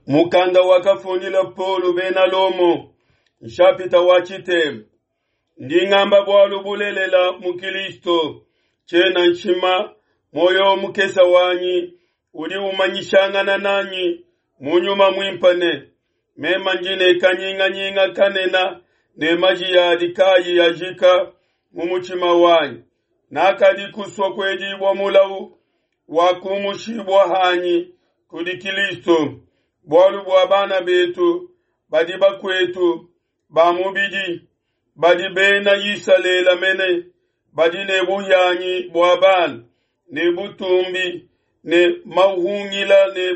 Mukanda wakafundila Paulo bena Lomo, nshapita wa tshitema. Ndi ngamba bualu bulelela mu Kilisto, tshiena nshima, muoyo mukese wanyi udi umanyishangana nanyi mu nyuma muimpe ne, meme ndi ne kanyinganyinga kanene ne majiya adi kaayi ajika mu mutshima wanyi. Nakadi kusua kuedibua mulawu wa kumushibua hanyi kudi Kilisto, bualu bua bana betu badi bakuetu ba mubidi, badi bena Isalele mene, badi ne buhianyi bua bana, ne butumbi, ne mahungila ne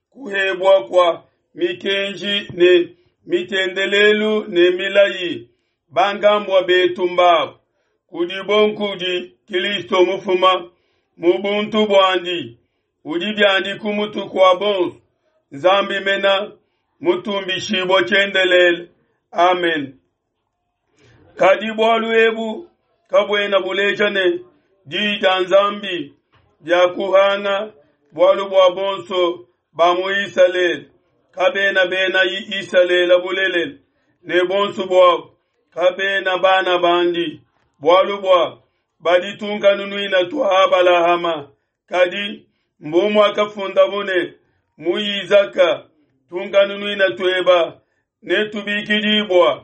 kuhebua kua mikenji ne mitendelelu ne milayi, bankambua betu mbabu kudibo nkudi Kilisto mufuma mu buntu buandi, udi biandi ku mutu kua bonso, Nzambi mena mutumbishibua tshiendelele. Amen. Kadi bualu ebu kabuena buleja ne diyi dia Nzambi diakuhanga, bualu bua bonso ba mu Isalele kabena bena Isalele bulelela, ne bonso buabo kabena bana bandi, bualu bua badi tunkanunuina tua Abalahama. Kadi mbu muakafundabo ne, mu Izaka tunkanunuina tueba netubikidibua.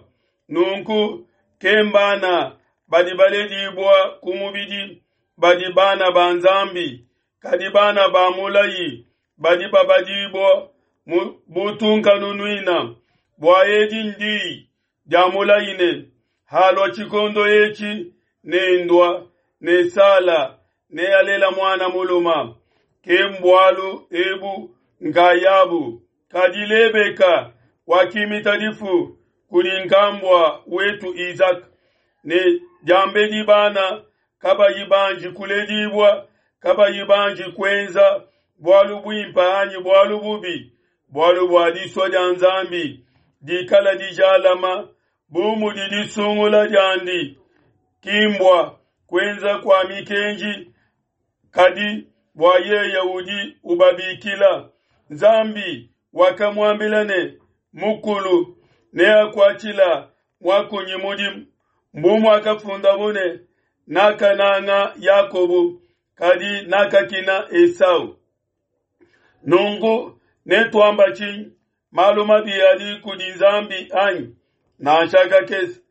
Nunku ke mbana badi baledibua ku mubidi badi bana ba Nzambi, kadi bana ba mulayi badi babadibua mu butunkanunuina. Bua edi ndiyi dia mulayi ne, halua tshikondo etshi nendua ne Sala nealela muana muluma. Ke mbualu ebu nkayabu. Kadi Lebeka wakimita difu kudi nkambua wetu Izaka, ne diambedi bana kabayi banji kuledibua, kabayi banji kuenza bualu buimpe anyi bualu bubi, bualu bua disua dia Nzambi dikala dijalama bu mudi disungula diandi, ki mbua kuenza kua mikenji, kadi bua yeye udi ubabikila. Nzambi wakamuambila ne, mukulu neakuatshila muakunyi mudimu, mbu muakafundabo ne, nakananga Yakobo, kadi nakakina Esau. Nunku netuamba tshinyi? Malu mabi adi kudi Nzambi anyi? Nansha kakese.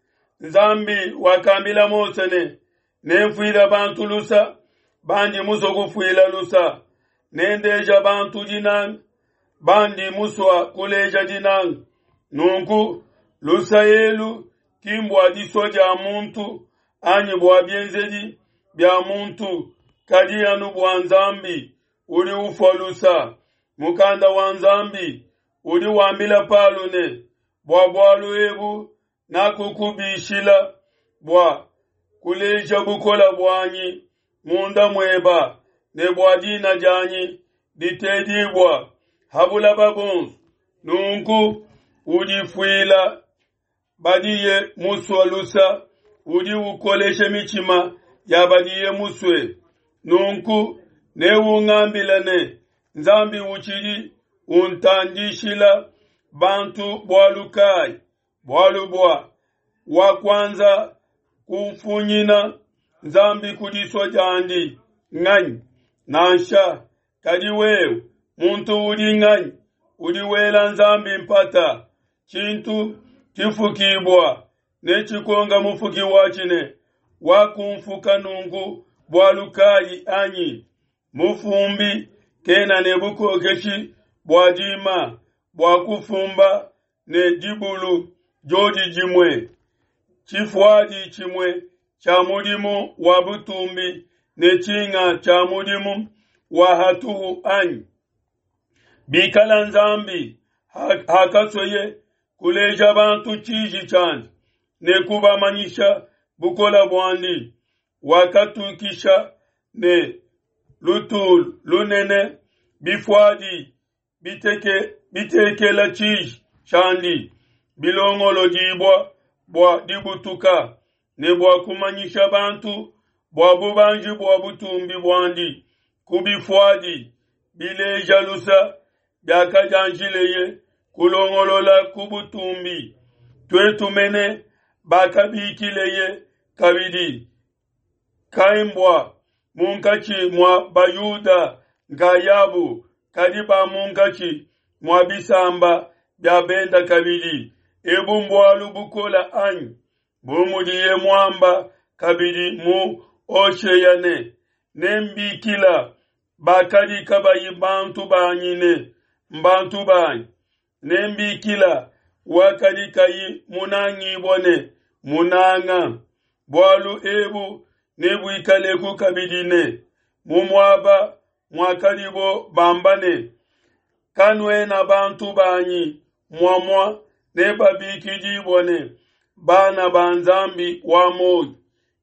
Nzambi wakambila Mose ne, nemfuile bantu lusa bandi musue kufuila lusa, nendeja bantu dinanga bandi musua kuleja dinanga. Nunku lusa elu ki mbua disua dia muntu anyi bua bienzedi bia muntu, kadi anu bua Nzambi udi ufua lusa. Mukanda wa Nzambi udi wambila Paulo ne, bua bualu ebu nakukubishila bua kuleja bukole buanyi munda mueba ne bua dina dianyi ditedibua ha bulaba bonso. Nunku udifuila badiye musue lusa, udi ukolesha mitshima ya badiye musue. Nunku neungambile ne, Nzambi utshidi untandishila bantu bualu kayi? Bualu bua wakuanza kumfunyina Nzambi ku disua diandi nganyi? Nansha, kadi wewe muntu udi nganyi udi wela Nzambi mpata? Tshintu tshifukibua netshikonga mufuki watshi ne, wakumfuka nunku bualu kayi anyi? Mufumbi kena ne bukokeshi bua dima bua kufumba ne dibulu diodi dimue, tshifuadi tshimue tshia mudimu wa butumbi ne tshinga tshia mudimu wa hatuhu anyi? Bikala Nzambi hakasueye kuleja bantu tshiji tshiandi ne kubamanyisha bukole buandi, wakatukisha ne lutulu lunene bifuadi biteke, bitekela tshiji tshiandi bilongolodibua bua dibutuka ne bua kumanyisha bantu bua bubanji bua butumbi buandi ku bifuadi bileja lusa. biakadianjileye kulongolola ku butumbi, tuetu mene bakabikileye kabidi, kaimbua munkatshi mua Bayuda nkayabu, kadi ba munkatshi mua bisamba bia benda kabidi. Ebu mbualu bukola anyi? Bu mudiye muamba kabidi mu Hoshea ne, Nembikila bakadi kabayi bantu banyi ne, mbantu banyi, nembikila wakadi kayi munangibua ne, munanga. Bualu ebu nebuikaleku kabidi ne, mu muaba muakadibo bamba ne, Kanuena bantu banyi, muamua nebabikidibua ne, bana ba Nzambi wa muoyo.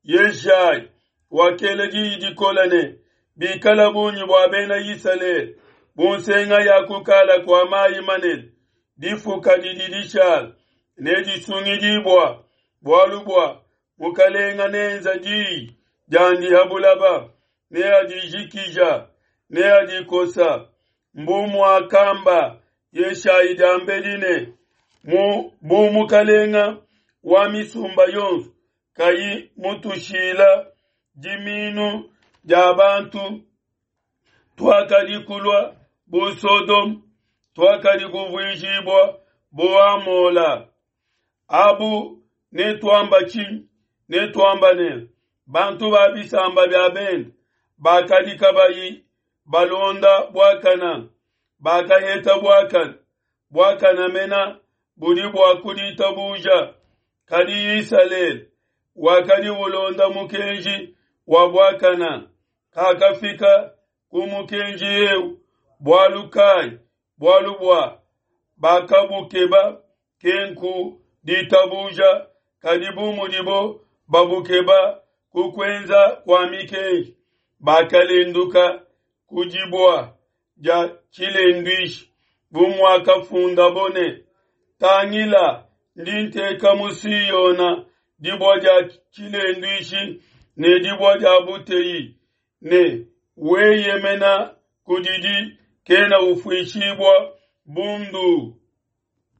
Yeshayi wakela diyi dikole ne, Bikala bungi bua bena Isalele bu nsenga ya kukala kua mayi manene, difuka didi dishala nedisungidibua, bualu bua Mukalenga neenza diyi diandi ha bulaba, neadijikija, neadikosa. Mbu muakamba Yeshayi diambedi ne, mu bu Mukalenga wa misumba yonso kayi mutushila diminu dia bantu, tuakadi kulua bu Sodome, tuakadi kuvuijibua bu Amola. Abu netuamba tshinyi? Netuamba ne, bantu ba bisamba bia bende bakadi kabayi balonda buakana, bakaheta buakana, buakana mena budi bua ku ditabuja. Kadi Isalele wakadi ulonda mukenji wa buakana, kakafika ku mukenji eu. Bualu kai? Bualu bua bakabukeba kenku ditabuja, kadi bu mudibo babukeba ku kuenza kua mikenji, bakalenduka ku dibua dia tshilenduishi, bu muakafundabo ne, Tangila, ndi nteka mu Siona dibua dia tshilenduishi ne dibua dia buteyi, ne weyemena kudidi kena ufuishibua bundu.